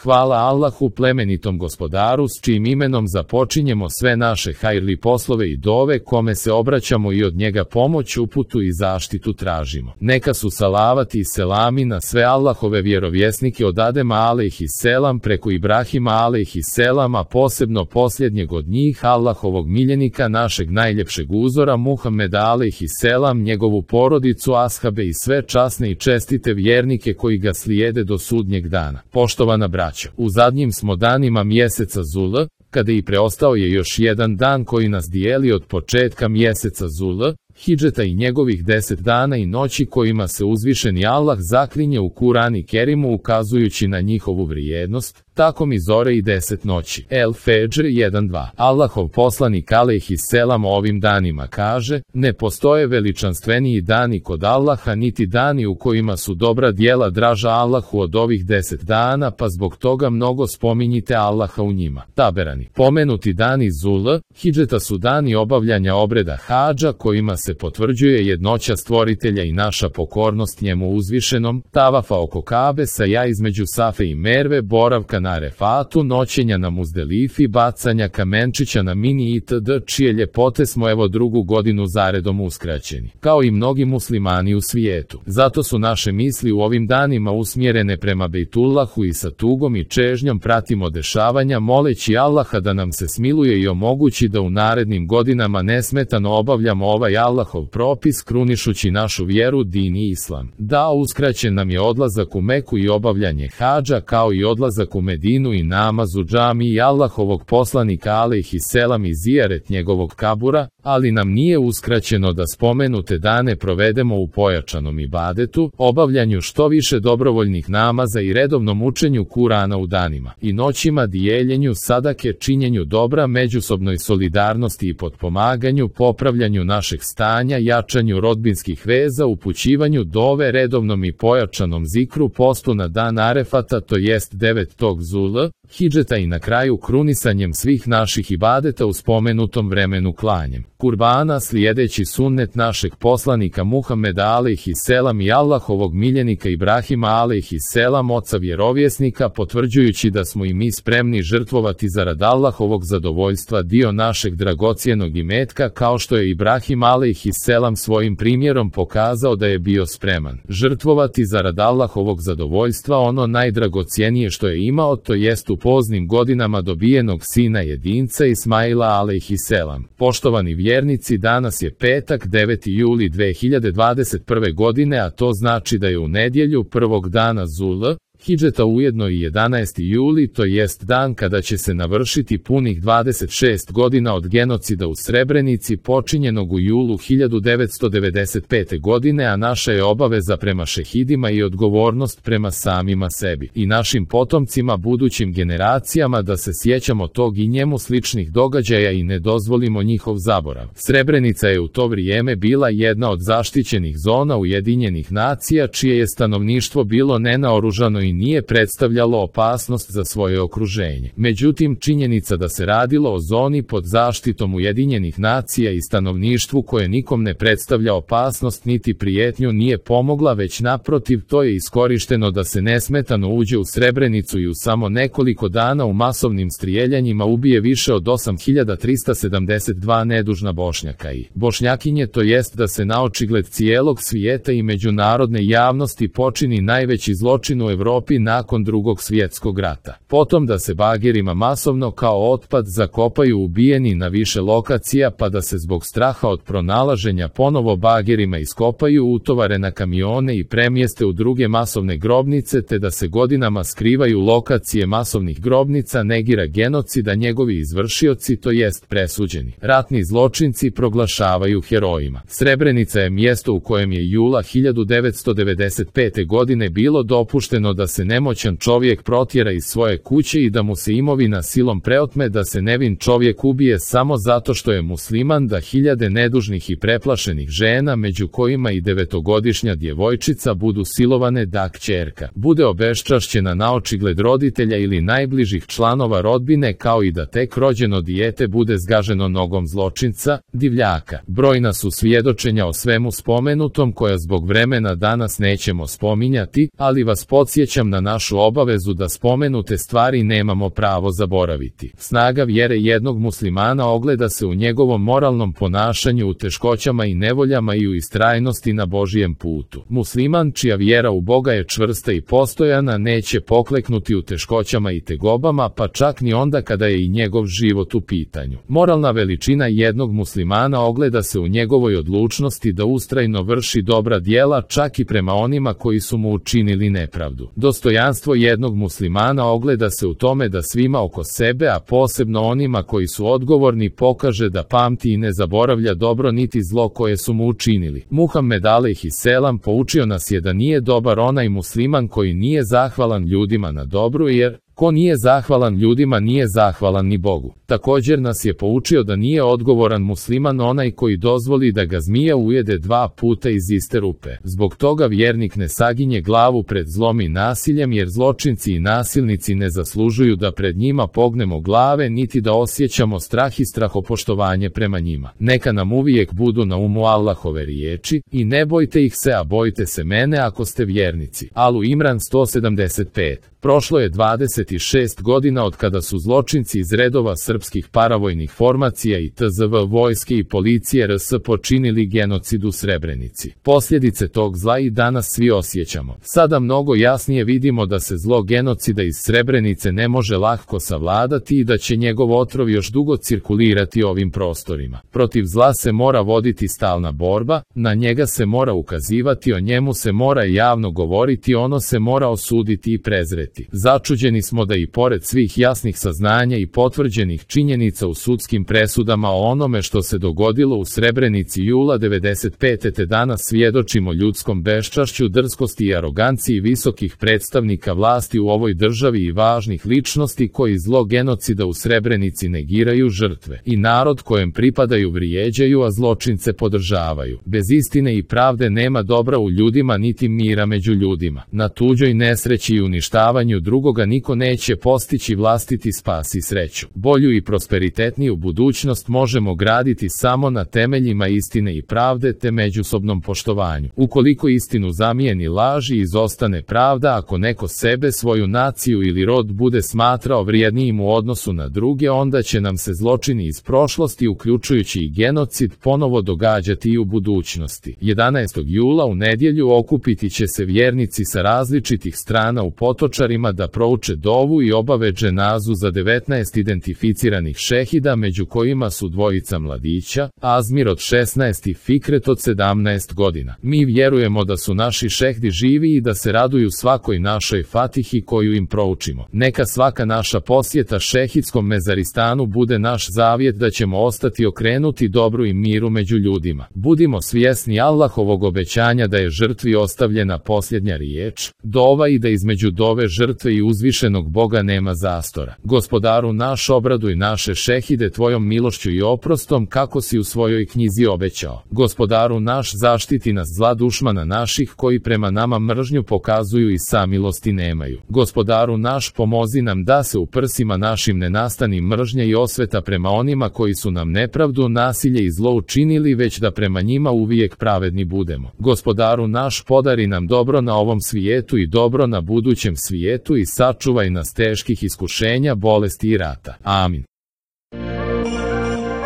Hvala Allahu, plemenitom gospodaru, s čijim imenom započinjemo sve naše hajrli poslove i dove, kome se obraćamo i od njega pomoć, uputu i zaštitu tražimo. Neka su salavati i selami na sve Allahove vjerovjesnike od Adema alejhiselam preko Ibrahima alejhiselam, a posebno posljednjeg od njih, Allahovog miljenika, našeg najljepšeg uzora Muhameda alejhiselam, njegovu porodicu, ashabe i sve časne i čestite vjernike koji ga slijede do sudnjeg dana. Poštovana braćo, u zadnjim smo danima mjeseca Zul, kada i preostao je još jedan dan koji nas dijeli od početka mjeseca Zul, hidžeta i njegovih 10 dana i noći kojima se uzvišeni Allah zaklinje u Kur'an Kerimu ukazujući na njihovu vrijednost, tako mi zore i 10 noći. El Fedžr 1.2. Allahov poslanik alejhiselam o ovim danima kaže: ne postoje veličanstveniji dani kod Allaha, niti dani u kojima su dobra djela draža Allahu od ovih 10 dana, pa zbog toga mnogo spominjite Allaha u njima. Taberani. Pomenuti dani Zul, hidžeta su dani obavljanja obreda hadža kojima se potvrđuje jednoća stvoritelja i naša pokornost njemu uzvišenom, tavafa oko Kabe, saja između Safe i Merve, boravka na Arefatu, noćenja na Muzdelifi, bacanja kamenčića na Mini itd., čije ljepote smo evo drugu godinu zaredom uskraćeni, kao i mnogi muslimani u svijetu. Zato su naše misli u ovim danima usmjerene prema Bejtullahu i sa tugom i čežnjom pratimo dešavanja, moleći Allaha da nam se smiluje i omogući da u narednim godinama nesmetano obavljamo ovaj Allahov propis, krunišući našu vjeru, din i islam. Da, uskraćen nam je odlazak u Meku i obavljanje hadža, kao i odlazak u Medinu i namaz u džamiji Allahovog poslanika alejhiselam i zijaret njegovog kabura, ali nam nije uskraćeno da spomenute dane provedemo u pojačanom ibadetu, obavljanju što više dobrovoljnih namaza i redovnom učenju Kurana u danima i noćima, dijeljenju sadake, činjenju dobra, međusobnoj solidarnosti i potpomaganju, popravljanju našeg stanja, jačanju rodbinskih veza, upućivanju dove, redovnom i pojačanom zikru, postu na dan Arefata, to jest 9. Zul, hidžeta i na kraju krunisanjem svih naših ibadeta u spomenutom vremenu klanjem kurbana, slijedeći sunnet našeg poslanika Muhameda alejhiselam i Allahovog miljenika Ibrahima alejhiselam, oca vjerovjesnika, potvrđujući da smo i mi spremni žrtvovati zarad Allahovog zadovoljstva dio našeg dragocjenog imetka, kao što je Ibrahim alejhiselam svojim primjerom pokazao da je bio spreman žrtvovati zarad Allahovog zadovoljstva ono najdragocjenije što je imao, to jest u poznim godinama dobijenog sina jedinca Ismaila alejhiselam. Poštovani vjernici, danas je petak 9. juli 2021. godine, a to znači da je u nedjelju prvog dana Zul, hidžeta ujedno i 11. juli, to jest dan kada će se navršiti punih 26 godina od genocida u Srebrenici počinjenog u julu 1995. godine, a naša je obaveza prema šehidima i odgovornost prema samima sebi i našim potomcima, budućim generacijama, da se sjećamo tog i njemu sličnih događaja i ne dozvolimo njihov zaborav. Srebrenica je u to vrijeme bila jedna od zaštićenih zona Ujedinjenih nacija, čije je stanovništvo bilo nenaoružano i nije predstavljalo opasnost za svoje okruženje. Međutim, činjenica da se radilo o zoni pod zaštitom Ujedinjenih nacija i stanovništvu koje nikom ne predstavlja opasnost niti prijetnju nije pomogla, već naprotiv, to je iskorišteno da se nesmetano uđe u Srebrenicu i u samo nekoliko dana u masovnim strijeljanjima ubije više od 8372 nedužna Bošnjaka i Bošnjakinje, to jest da se naočigled cijelog svijeta i međunarodne javnosti počini najveći zločin u Evropi nakon Drugog svjetskog rata. Potom da se bagerima masovno kao otpad zakopaju ubijeni na više lokacija, pa da se zbog straha od pronalaženja ponovo bagerima iskopaju, utovare na kamione i premjeste u druge masovne grobnice, te da se godinama skrivaju lokacije masovnih grobnica, negira genocida njegovi izvršioci, to jest presuđeni ratni zločinci, proglašavaju herojima. Srebrenica je mjesto u kojem je jula 1995. godine bilo dopušteno da se nemoćan čovjek protjera iz svoje kuće i da mu se imovina silom preotme, da se nevin čovjek ubije samo zato što je musliman, da hiljade nedužnih i preplašenih žena, među kojima i 9-godišnja djevojčica, budu silovane, da kćerka bude obeščašćena naočigled roditelja ili najbližih članova rodbine, kao i da tek rođeno dijete bude zgaženo nogom zločinca, divljaka. Brojna su svjedočenja o svemu spomenutom koja zbog vremena danas nećemo spominjati, ali vas podsjećam podsjećam na našu obavezu da spomenute stvari nemamo pravo zaboraviti. Snaga vjere jednog muslimana ogleda se u njegovom moralnom ponašanju, u teškoćama i nevoljama i u istrajnosti na Božijem putu. Musliman čija vjera u Boga je čvrsta i postojana neće pokleknuti u teškoćama i tegobama, pa čak ni onda kada je i njegov život u pitanju. Moralna veličina jednog muslimana ogleda se u njegovoj odlučnosti da ustrajno vrši dobra djela čak i prema onima koji su mu učinili nepravdu. Dostojanstvo jednog muslimana ogleda se u tome da svima oko sebe, a posebno onima koji su odgovorni, pokaže da pamti i ne zaboravlja dobro niti zlo koje su mu učinili. Muhammed alejhiselam poučio nas je da nije dobar onaj musliman koji nije zahvalan ljudima na dobru, jer ko nije zahvalan ljudima nije zahvalan ni Bogu. Također nas je poučio da nije odgovoran musliman onaj koji dozvoli da ga zmija ujede 2 puta iz iste rupe. Zbog toga vjernik ne saginje glavu pred zlom i nasiljem, jer zločinci i nasilnici ne zaslužuju da pred njima pognemo glave niti da osjećamo strah i strahopoštovanje prema njima. Neka nam uvijek budu na umu Allahove riječi: i ne bojte ih se, a bojte se mene ako ste vjernici. Alu Imran 175. Prošlo je 26 godina od kada su zločinci iz redova srpskih paravojnih formacija i TZV vojske i policije RS počinili genocid u Srebrenici. Posljedice tog zla i danas svi osjećamo. Sada mnogo jasnije vidimo da se zlo genocida iz Srebrenice ne može lako savladati i da će njegov otrov još dugo cirkulirati ovim prostorima. Protiv zla se mora voditi stalna borba, na njega se mora ukazivati, o njemu se mora javno govoriti, ono se mora osuditi i prezreti. Začuđeni smo da i pored svih jasnih saznanja i potvrđenih činjenica u sudskim presudama o onome što se dogodilo u Srebrenici jula 95. te danas svjedočimo ljudskom beščašću, drskosti i aroganciji visokih predstavnika vlasti u ovoj državi i važnih ličnosti koji zlo genocida u Srebrenici negiraju, žrtve i narod kojem pripadaju vrijeđaju, a zločince podržavaju. Bez istine i pravde nema dobra u ljudima niti mira među ljudima. Na tuđoj nesreći i uništavanju drugoga niko neće postići vlastiti spas i sreću. Bolju i prosperitetniju budućnost možemo graditi samo na temeljima istine i pravde te međusobnom poštovanju. Ukoliko istinu zamijeni laž i izostane pravda, ako neko sebe, svoju naciju ili rod bude smatrao vrijednijim u odnosu na druge, onda će nam se zločini iz prošlosti, uključujući i genocid, ponovo događati i u budućnosti. 11. jula u nedjelju okupiti će se vjernici sa različitih strana u Potočarima da prouče dovu i obave dženazu za 19 identificiranih šehida, među kojima su dvojica mladića, Azmir od 16 i Fikret od 17 godina. Mi vjerujemo da su naši šehdi živi i da se raduju svakoj našoj fatihi koju im proučimo. Neka svaka naša posjeta šehidskom mezaristanu bude naš zavjet da ćemo ostati okrenuti dobru i miru među ljudima. Budimo svjesni Allahovog obećanja da je žrtvi ostavljena posljednja riječ, dova, i da između dove žrtve i uzvišenog Boga nema zastora. Gospodaru naš, obraduj naše šehide tvojom milošću i oprostom kako si u svojoj knjizi obećao. Gospodaru naš, zaštiti nas zla dušmana naših koji prema nama mržnju pokazuju i samilosti nemaju. Gospodaru naš, pomozi nam da se u prsima našim ne nastani mržnja i osveta prema onima koji su nam nepravdu, nasilje i zlo učinili, već da prema njima uvijek pravedni budemo. Gospodaru naš, podari nam dobro na ovom svijetu i dobro na budućem svijetu i sačuvaj nas teških iskušenja, bolesti i rata. Amin.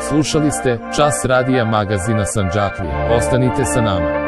Slušali ste Čas radija magazina Sandžaklija. Ostanite sa nama.